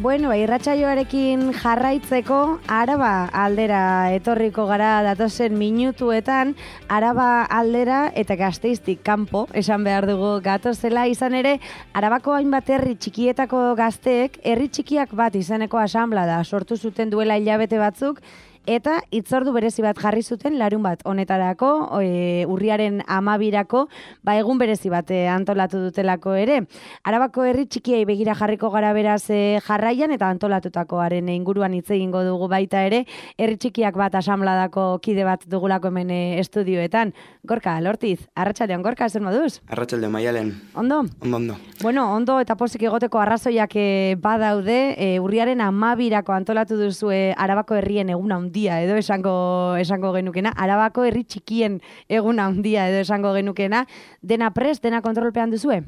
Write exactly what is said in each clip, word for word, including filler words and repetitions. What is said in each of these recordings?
Bueno, irratsaioarekin jarraitzeko Araba aldera etorriko gara datozen minutuetan, Araba aldera eta Gasteiztik kanpo, esan behar dugu gatozela, izan ere, Arabako hainbat herri txikietako gazteek, herri txikiak bat izeneko asanblada sortu zuten duela hilabete batzuk, eta hitzordu berezi bat jarri zuten larun bat honetarako, e, urriaren amabirako, ba egun berezi bat e, antolatu dutelako ere. Arabako herri txikiei begira jarriko gara beraz e, jarraian eta antolatutakoaren inguruan hitz egingo dugu baita ere, herri txikiak bat asanbladako kide bat dugulako hemen e, estudioetan. Gorka, Lortiz, arratsaldeon, Gorka, zer moduz? Arratsaldeon, Maialen. Ondo? Ondo, ondo. Bueno, ondo eta pozik egoteko arrazoiak e, badaude, e, urriaren amabirako antolatu duzue Arabako herrien egun handia edo esango esango genukena, Arabako herri txikien egun handia edo esango genukena, dena prest, dena kontrolpean duzue?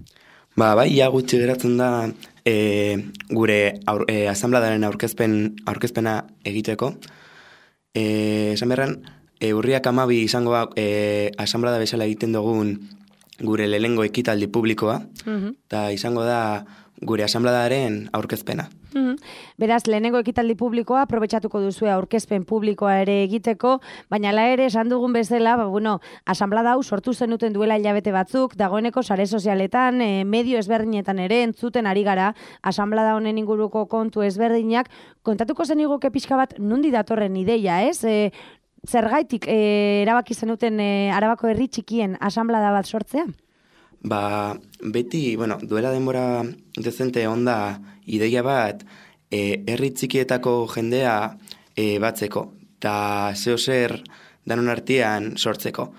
Ba, bai, ia gutxi geratzen da e, gure aur, e, asanbladaren aurkezpen, aurkezpena egiteko. E, esan beharren, e, urriak amabi izango e, asanblada bezala egiten dugun gure lehengo ekitaldi publikoa, eta uh-huh. izango da gure asanbladaren aurkezpena. Mm-hmm. Beraz, lehenengo ekitaldi publikoa aprobetxatuko duzue aurkezpen publikoa ere egiteko, baina la ere esan dugun bezala, ba, bueno, asanblada hau sortu zenuten duela hilabete batzuk, dagoeneko sare sozialetan, e, medio ezberdinetan ere entzuten ari gara, asanblada honen inguruko kontu ezberdinak, kontatuko zeniguke pixka bat nundi datorren ideia, ez? E, zergaitik e, erabaki zenuten e, Arabako herri txikien asanblada bat sortzea? Ba, beti, bueno, duela denbora dezente onda ideia bat e, herri txikietako jendea e, batzeko, eta zeo zer danon artean sortzeko.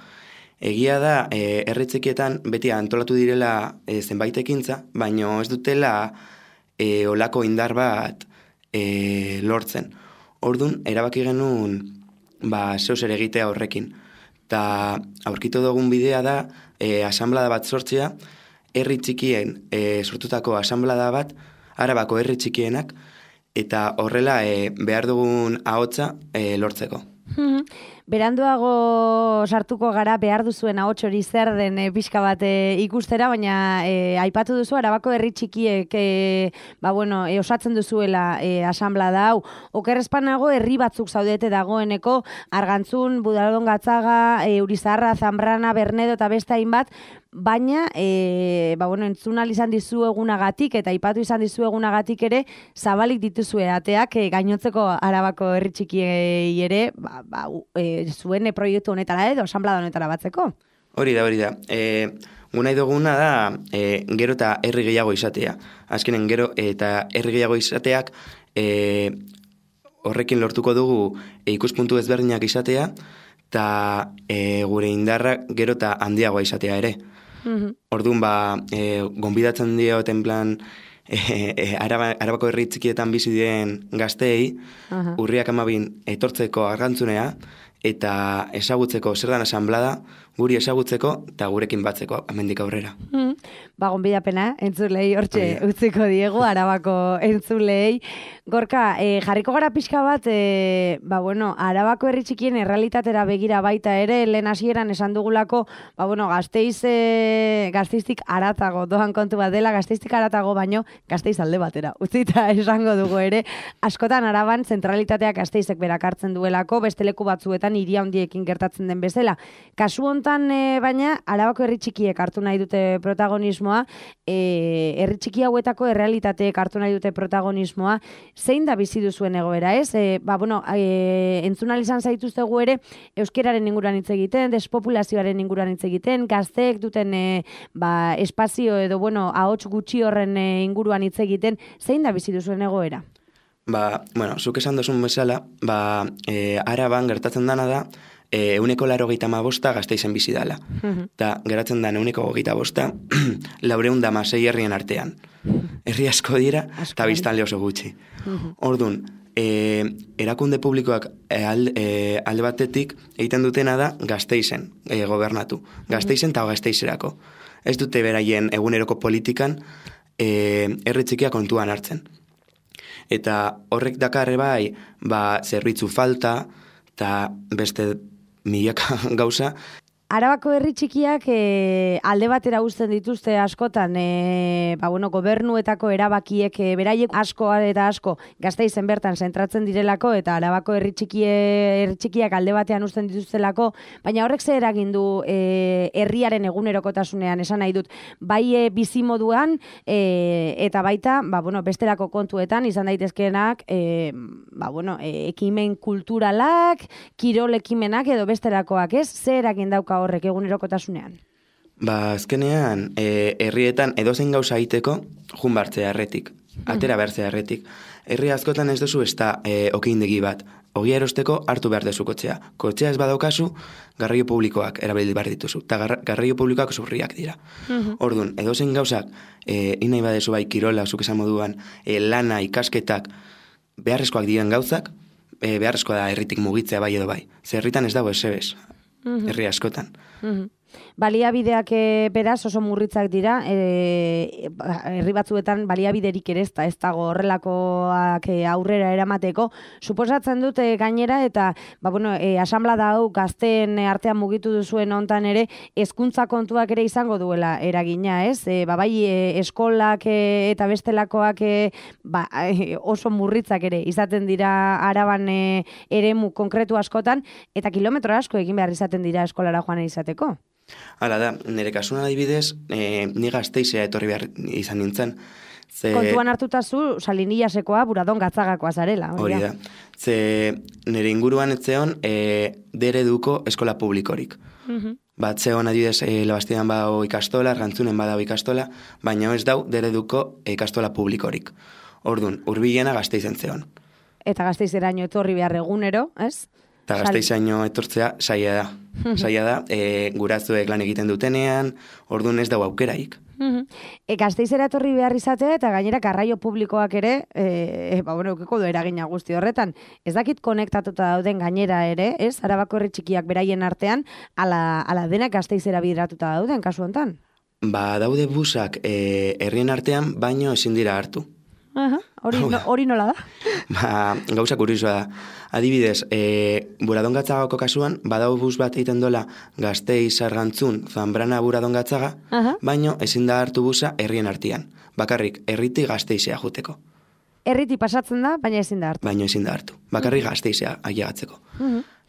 Egia da, e, herri txikietan beti antolatu direla e, zenbait ekintza, baina ez dutela e, olako indar bat e, lortzen. Ordun erabaki genuen ba, zeo zer egitea horrekin. Eta aurkitu dugun bidea da, e, asanblada bat sortzea, herri txikien e, sortutako asanblada bat, Arabako herri txikienak, eta horrela e, behar dugun ahotsa e, lortzeko. Beranduago sartuko gara behar duzuen ahots hori zer den e, pixka bat e, ikustera, baina e, aipatu duzu Arabako herri txikiek e, ba, bueno, e, osatzen duzuela e, asanblada hau. Okerrezpanago herri batzuk zaudete dagoeneko, Argantzun, Budaldon Gatzaga, e, Urizarra, Zambrana, Bernedo eta beste hainbat, baina e, ba, bueno, entzun izan dizu egunagatik eta aipatu izan dizu egunagatik ere zabalik dituzue ateak e, gainotzeko Arabako herri txikiei ere ba, ba, e, zuen proiektu honetara edo asanblada honetara batzeko. Hori da, hori da. E, Gunai duguna da e, gero eta herri gehiago izatea. Azkenen gero eta herri gehiago izateak e, horrekin lortuko dugu e, ikuspuntu ezberdinak izatea eta e, gure indarrak gero eta handiagoa izatea ere. Mm-hmm. Orduan ba, e, gonbidatzen dioten plan e, e, Araba, Arabako herri txikietan bizi diren gazteei, uh-huh. urriak amabin etortzeko Argantzunea, eta ezagutzeko zer dan asanblada, guri ezagutzeko eta gurekin batzeko hemendik aurrera. Mm. Ba, gonbidapena, entzulei hortxe utziko diegu, Arabako entzulei. Gorka, e, jarriko gara pixka bat, e, ba, bueno, Arabako herri txikien errealitatera begira baita ere, lehen hasieran esan dugulako, ba, bueno, Gasteiz, e, Gasteiztik aratago, doan kontu bat dela, Gasteiztik aratago baino, Gasteiz alde batera. Utzita esango dugu ere, askotan Araban zentralitateak Gasteizek berak hartzen duelako, beste leku batzuetan hiri handiekin gertatzen den bezala. Kasu hontan, e, baina, Arabako herri txikiek hartu nahi dute protagonismoa, e, herri txiki hauetako errealitateek hartu nahi dute protagonismoa, zein da bizi duzuen egoera, ez? E, ba, bueno, e, entzun izan zaituztegu ere, euskeraren inguruan hitz egiten, despopulazioaren inguruan hitz egiten, gazteek duten e, ba, espazio edo, bueno, ahots gutxi horren e, inguruan hitz egiten, zein da bizi duzuen egoera? Ba, bueno, zuk esan duzun bezala, ba, e, Araban gertatzen dana da, e, euneko laro geita bosta Gasteizen bizi dala. Eta uh-huh. geratzen da euneko geita bosta, laureun da masei herrien artean. Herri asko dira, eta biztanle oso gutxi. Uh-huh. Orduan, e, erakunde publikoak e, alde, e, alde batetik egiten dutena da Gasteizen e, gobernatu. Gasteizen eta uh-huh. Gasteizerako. Ez dute beraien eguneroko politikan e, herri txikia kontuan hartzen. Eta horrek dakarre bai, ba, zerbitzu falta, eta beste milaka gauza. Arabako herri txikiak e, alde batera uzten dituzte askotan, e, ba, bueno, gobernuetako erabakiek e, beraiek asko eta asko Gasteizen bertan zentratzen direlako eta Arabako herri, txikie, herri txikiak alde batean uzten dituztelako, baina horrek ze eragin du e, herriaren egunerokotasunean, esan nahi dut, bai e, bizimoduan e, eta baita ba, bueno, bestelako kontuetan izan daitezkeenak e, ba, bueno, e, ekimen kulturalak, kirol ekimenak edo bestelakoak, ez? Ze eragin dauka horrek egunerokotasunean? Ba, azkenean, e, herrietan edozein gauza egiteko jun bartzea erretik, atera bertzea erretik. Herri askotan ez duzu ez da e, okeindegi bat, ogia erosteko hartu behar dezu kotxea. Kotxea ez badaukazu, garraio publikoak erabili behar dituzu, eta gar, garraio publikoak zurriak dira. Uh-huh. Orduan, edozein gauzak, e, inai badezu bai kirola, zuk esan moduan, e, lana, ikasketak, beharrezkoak diren gauzak, e, beharrezkoa da herritik mugitzea bai edo bai. Ze herritan ez dago esebez, uh-huh. herri askotan. Uh-huh. Baliabideak e, beraz oso murritzak dira, e, herri batzuetan baliabiderik ere ez da, ez dago horrelakoak e, aurrera eramateko. Suposatzen dute gainera eta ba, bueno, e, asanblada hau gazteen artean mugitu duzuen hontan ere hezkuntza kontuak ere izango duela eragina, ez? E, ba, bai e, eskolak e, eta bestelakoak e, ba, e, oso murritzak ere izaten dira Araban e, eremu konkretu askotan eta kilometro asko egin behar izaten dira eskolara joan izateko. Hala da, nire kasuan adibidez, e, ni Gasteizea etorri behar izan nintzen. Ze... Kontuan hartuta zu, Salinillasekoa, Buradon Gatzagakoa zarela. Hori da. Ze nire inguruan etzeon e, dereduko eskola publikorik. Uh-huh. Bat zeon adibidez, e, Labastidan badao ikastola, Rantzunen badao ikastola, baina ez dau dereduko ikastola publikorik. Orduan, hurbilena Gasteizen zeon. Eta Gasteizeraino etorri behar egunero, ez? Eta Gasteizaino etortzea saia da. Saia da, e, gurazuek lan egiten dutenean, orduan ez dau aukeraik. E, Gasteizera etorri behar izatea eta gainera garraio publikoak ere, e, ba, bueno, eukiko du eragina guzti horretan. Ez dakit konektatuta dauden gainera ere, ez? Arabako herri txikiak beraien artean, ala, ala denak Gasteizera bideratuta dauden, kasu hontan? Ba, daude busak e, herrien artean, baino ezin dira hartu. Aha, hori, no, hori nola da? Ba, gauza kuriosoa da. Adibidez, e, Buradon Gatzagako kasuan, badau bus bat egiten dola Gasteiz, Argantzun, Zambrana, Buradon Gatzaga, uh-huh. baino ezin da hartu busa herrien artean. Bakarrik, herriti Gasteizea juteko. Herriti pasatzen da, baina ezin da hartu. Baina ezin da hartu. Bakarrik uh-huh. Gasteizea ailegatzeko.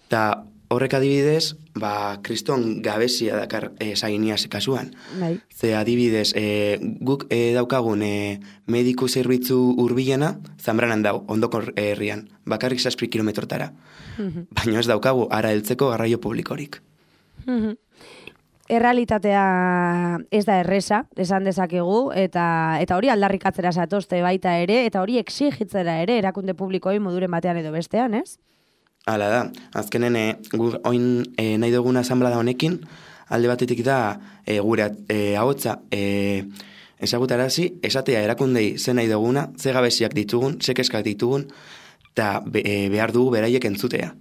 Eta uh-huh. horrek adibidez, ba, kriston gabezia dakar e, Salinias kasuan. Bai. Ze adibidez, e, guk e, daukagun e, mediku zerbitzu hurbilena Zambranan dau, ondoko herrian, bakarrik zazpi kilometrotara. Uh-huh. Baina ez daukagu ara heltzeko garraio publikorik. Uh-huh. Errealitatea ez da erresa, esan dezakegu, eta eta hori aldarrikatzera zatozte baita ere, eta hori exigitzera ere, erakunde publikoi moduren batean edo bestean, ez? Hala da, azkenen e, gur, oin e, nahi duguna asanblada honekin, alde batetik da e, gure e, ahotsa e, ezagutarazi, esatea erakundei ze nahi duguna, ze gabeziak ditugun, ze keskak ditugun, eta be, e, behar dugu beraiek entzutea.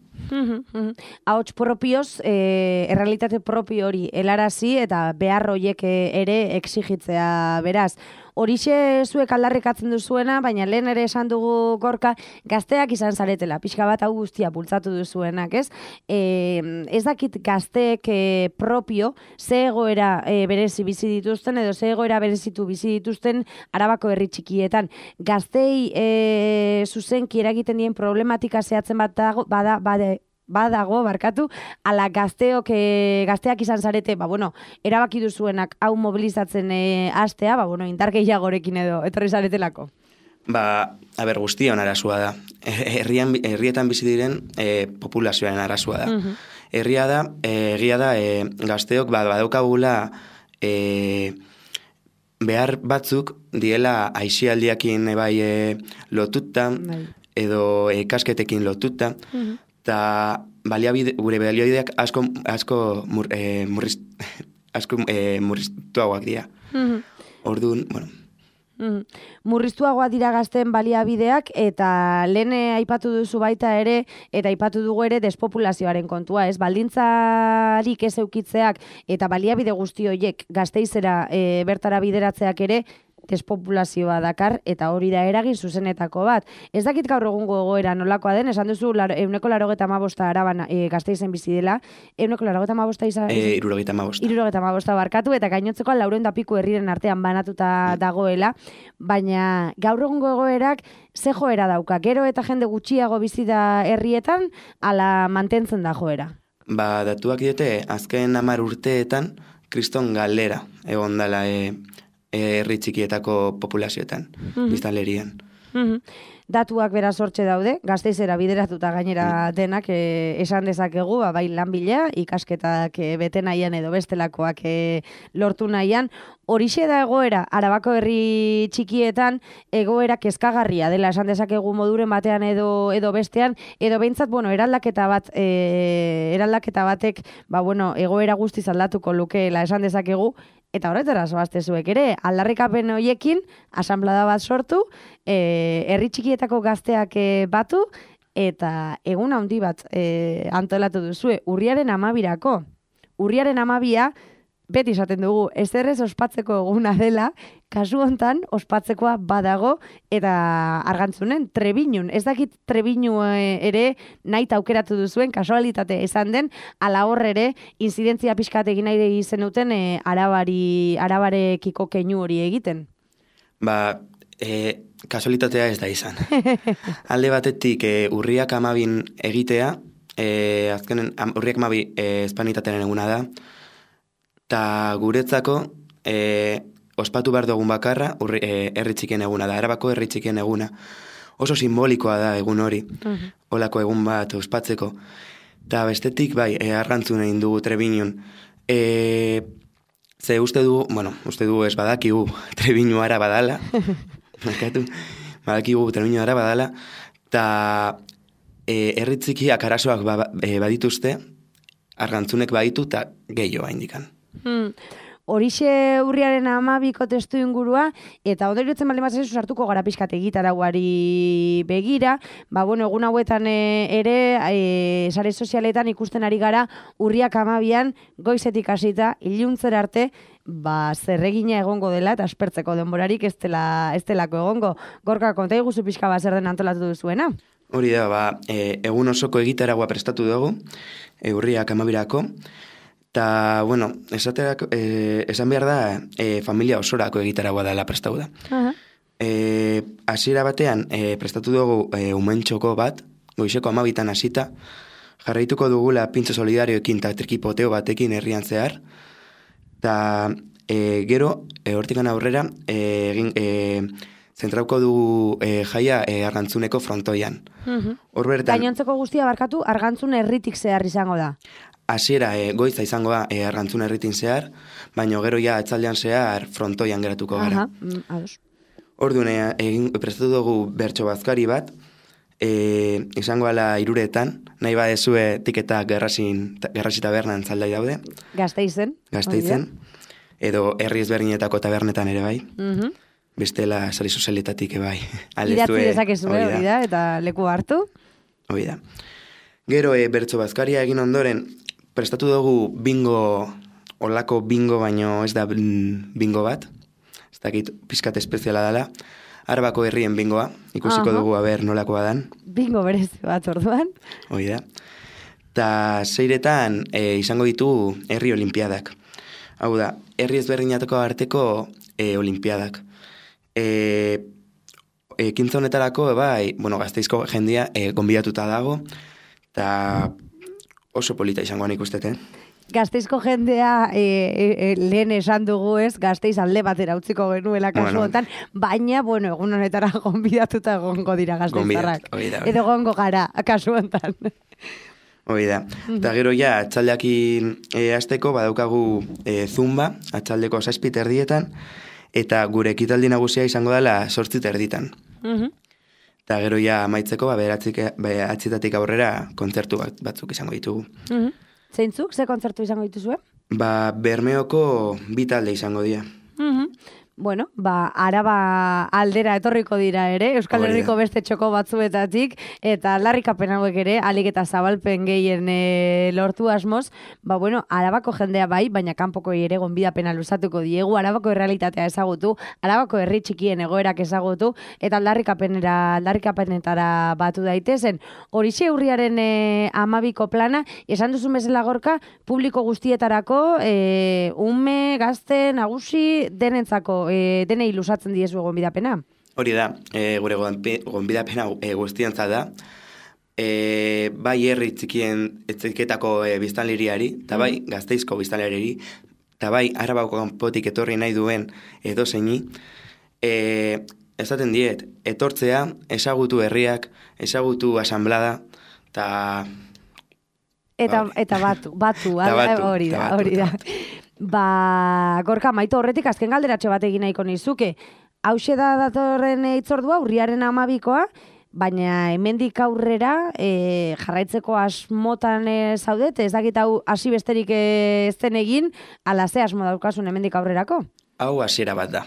Ahots propioz, e, errealitate propio hori helarazi eta behar horiek ere exigitzea beraz. Horixe zuek aldarrikatzen duzuena, baina lehen ere esan dugu Gorka, gazteak izan zaretela, pixka bat hau guztia bultzatu duzuenak, ez? E, ez dakit gazteek e, propio, ze egoera e, berezi bizi dituzten, edo ze egoera berezitu bizi dituzten Arabako herri txikietan. Gaztei e, zuzenki eragiten dien problematika zehatzen bat dago, bada, bada, badago, barkatu, ala gazteok, e, gazteak izan zarete, ba, bueno, erabaki duzuenak hau mobilizatzen e, hastea, ba, bueno, indar gehiagorekin edo, etorri zaretelako. Ba, a ber, guztion arazua da. Herrian, herrietan bizi diren e, populazioaren arazua da. Uh-huh. Herria da, e, egia da, e, gazteok, ba, badaukagula e, behar batzuk diela aixialdiakin e, bai e, lotuta, bai. Edo e, kasketekin lotuta, uh-huh. Eta baliabide, gure baliabideak asko, asko mur, e, murriz, asko e, murriztuagoak dira. Mm-hmm. Orduan, bueno. Mm-hmm. Murriztuagoak dira gazten baliabideak eta lehen aipatu duzu baita ere, eta aipatu dugu ere despopulazioaren kontua, ez? Baldintzarik ez eukitzeak eta baliabide guzti horiek Gasteizera e, bertara bideratzeak ere, despopulazioa dakar, eta hori da eragin zuzenetako bat. Ez dakit gaur egungo egoera nolakoa den, esan duzu euneko larogeta amabosta Araban e, Gasteizen bizi dela, euneko larogeta amabosta izan? E, irurogeta amabosta. Irurogeta amabosta barkatu, eta gainotzeko laureun da piku herriren artean banatuta dagoela, baina gaur egungo egoerak ze joera dauka, gero eta jende gutxiago bizi da herrietan, ala mantentzen da joera? Ba, datuak diote, azken hamar urteetan, kriston galera egon dela e, herri txikietako populazioetan, mm-hmm. biztanlerian. Mm-hmm. Datuak beraz hortxe daude, Gasteizera bideratuta gainera denak e, esan dezakegu, ba, bai lanbila, ikasketak e, bete nahian edo bestelakoak e, lortu nahian. Horixe da egoera, Arabako herri txikietan egoera kezkagarria dela, esan dezakegu moduren batean edo edo bestean, edo behintzat, bueno, eraldaketa bat, e, eraldaketa batek, ba, bueno, egoera guztiz aldatuko lukeela, esan dezakegu, eta horretara zoazte zuek ere, aldarrikapen horiekin, asanblada bat sortu, e, herri txikietako gazteak e, batu, eta egun handi bat e, antolatu duzue, urriaren amabirako. Urriaren amabia, beti esaten dugu, ezerrez ospatzeko eguna dela, kasu hontan ospatzekoa badago, eta Argantzunen, Trebinun. Ez dakit Trebinu ere nahi aukeratu duzuen, kasualitate esan den, ala hor ere, inzidentzia pixkat egin nahi zenuten e, arabari, arabarekiko keinu hori egiten. Ba, e, kasualitatea ez da izan. Alde batetik e, urriak amabin egitea, e, azkenen urriak amabi e, espanitatearen eguna da, eta guretzako e, ospatu behar dugun bakarra urri, e, herri txikien eguna da, Arabako herri txikien eguna. Oso simbolikoa da egun hori, uh-huh. Olako egun bat ospatzeko. Eta bestetik, bai, e, Argantzun egin dugu Trebinun. E, ze uste du, bueno, uste du ez badakigu Trebinu ara badala, markatu, badakigu Trebinu ara badala, eta e, herri txikiak arazoak ba, e, badituzte, Argantzunek baditu eta gehiago indikan. Hmm. Horixe urriaren amabiko testu ingurua, eta ondoritzen baldin bat zezu sartuko gara pixkat egitaraguari begira, ba bueno, egun hauetan e, ere, e, sare sozialetan ikusten ari gara, urriak amabian, goizetik hasita, iluntzera arte, ba, zerregina egongo dela, eta aspertzeko denborarik ez dela, ez delako egongo. Gorka, konta iguzu pixka bat zer den antolatu duzuena? Hori da, ba, e, egun osoko egitaragua prestatu dugu, e, urriak amabirako, eta, bueno, esaterak, e, esan behar da, e, familia osorako egitaragua dela prestatu da. Uh-huh. E, hasiera batean, e, prestatu dugu e, umentxoko bat, goizeko amabitan hasita, jarraituko dugula pintxo solidarioekin eta trikipoteo batekin herrian zehar, eta e, gero, e, hortikan aurrera, egin... E, zentrauko dugu e, jaia e, Argantzuneko frontoian. Uh-huh. Bertan, gainontzeko guztia barkatu, Argantzun herritik zehar izango da. Hasiera e, goiza izango da e, Argantzun herritin zehar, baina gero ja etzaldean zehar frontoian geratuko gara. Uh-huh. Orduan, egin prestatu dugu bertso bazkari bat, e, izango ala iruretan, nahi badezue tiketa gerrasin, gerrasi tabernan zaldai daude. Gasteizen. Gasteizen. Edo herri ezberdinetako tabernetan ere bai. Uh-huh. Bestela sari sozialetatik ebai. Idatzi dezakezue hori da, eta leku hartu. Hori da. Gero e, bertso bazkaria egin ondoren, prestatu dugu bingo, olako bingo, baino ez da bingo bat. Ez dakit pizkat espeziala dela. Arabako herrien bingoa, ikusiko uh-huh. dugu aber nolakoa dan. Bingo berez bat orduan. Hori da. Ta seiretan e, izango ditu herri olimpiadak. Hau da, herri ezberdinatako arteko e, olimpiadak. E, ekintza honetarako, bai, bueno, Gasteizko jendia e, gonbidatuta dago, eta oso polita izangoan ikustete. Gasteizko jendea e, e, lehen esan dugu ez, Gasteiz alde batera utziko genuela kasu honetan, bueno. Baina, bueno, egun honetara gonbidatuta egongo dira gasteiztarrak. Edo gongo gara, kasu honetan. Hoi da. Eta gero ja, atxaldeakin e, azteko, badaukagu e, zumba, atxaldeko zazpit erdietan, eta gure ekitaldi nagusia izango dela sortzit erditan. Uh-huh. Eta gero ja amaitzeko, ba, behatzietatik aurrera kontzertu bat, batzuk izango ditugu. Uh-huh. Zeintzuk, ze kontzertu izango dituzue? Ba, Bermeoko bi talde izango dira. Uh-huh. bueno, ba, Araba aldera etorriko dira ere, Euskal Herriko beste txoko batzuetatik, eta aldarrikapen hauek ere, alik eta zabalpen gehien e, lortu asmoz, ba, bueno, Arabako jendea bai, baina kanpoko ere gonbidapena luzatuko diegu, Arabako errealitatea ezagutu, Arabako herri txikien egoerak ezagutu, eta aldarrikapenera, aldarrikapenetara batu daitezen. Horixe urriaren e, amabiko plana, esan duzun bezala Gorka, publiko guztietarako, e, ume, gazte, nagusi, denentzako, e, denei lusatzen diezu gonbidapena. Hori da, e, gure gonbidapena e, guztientzat da, e, bai herri txikien etziketako e, biztanleriari, eta bai Gasteizko biztanleriari, eta bai Arabako kanpotik etorri nahi duen edo zeini, e, esaten diet, etortzea, ezagutu herriak, ezagutu asanblada, eta... Eta, eta batu, batu, batu hori da, hori da. Ba, Gorka, maito horretik azken galderatxo bat egin nahiko nizuke. Hauxe da datorren itzordua, urriaren amabikoa, baina hemendik aurrera e, jarraitzeko asmotan e, zaudet, ez dakit hau hasi besterik e, ez den egin, ala ze asmo daukasun hemendik aurrerako? Hau hasiera bat da,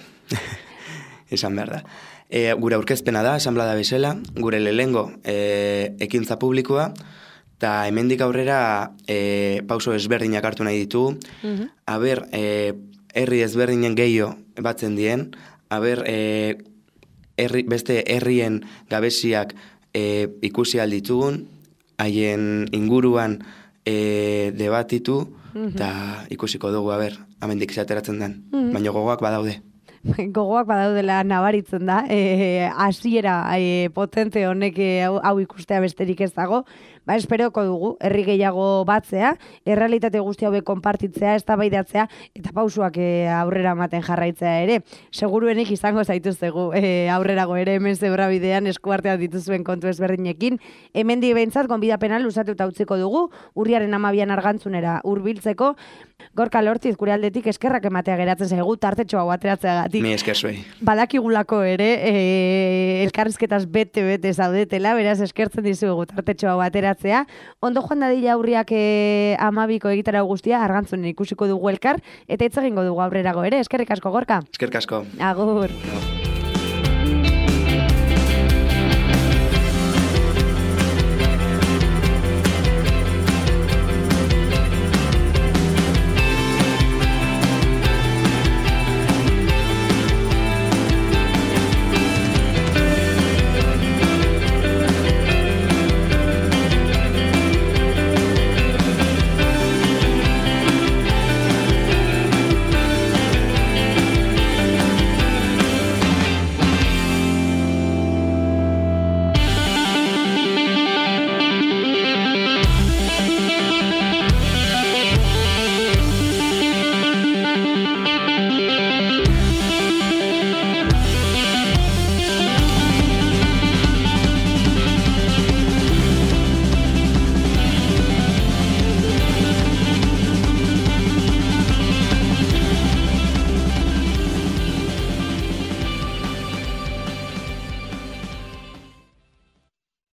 esan behar da. E, gure aurkezpena da, asanblada bezala, gure lehengo e, ekintza publikoa, eta hemendik aurrera e, pauso ezberdinak hartu nahi ditu, uh-huh. aber, e, herri ezberdinen gehiago batzen dien, aber, e, herri, beste herrien gabeziak e, ikusi alditugun, haien inguruan e, debatitu, eta uh-huh. ikusiko dugu, aber, hemendik zateratzen den, uh-huh. baina gogoak badaude. Gogoak badaudela nabaritzen da, e, hasiera e, potente honek e, hau, hau ikustea besterik ez dago, ba, esperoko dugu, herri gehiago batzea, errealitate guzti hauek konpartitzea, eztabaidatzea eta pausuak e, aurrera ematen jarraitzea ere. Seguruenik izango zaituztegu e, aurrerago ere hemen zebrabidean eskuartean dituzuen kontu ezberdinekin. Hemendik behintzat gonbidapena luzatuta utziko dugu, urriaren amabian argantzunera hurbiltzeko. Gorka Lortiz, gure aldetik eskerrak ematea geratzen zaigu tartetxo hau ateratzeagatik. Mi esker zuei. Badakigulako ere, e, elkarrizketaz bete-bete zaudetela, beraz eskertzen dizugu tartetxo hau ateratzea. Ondo joan dadila aurriak e, amabiko egitara guztia, argantzunen ikusiko dugu elkar, eta hitz egingo dugu aurrerago ere. Eskerrik asko, Gorka. Eskerrik asko. Agur. No.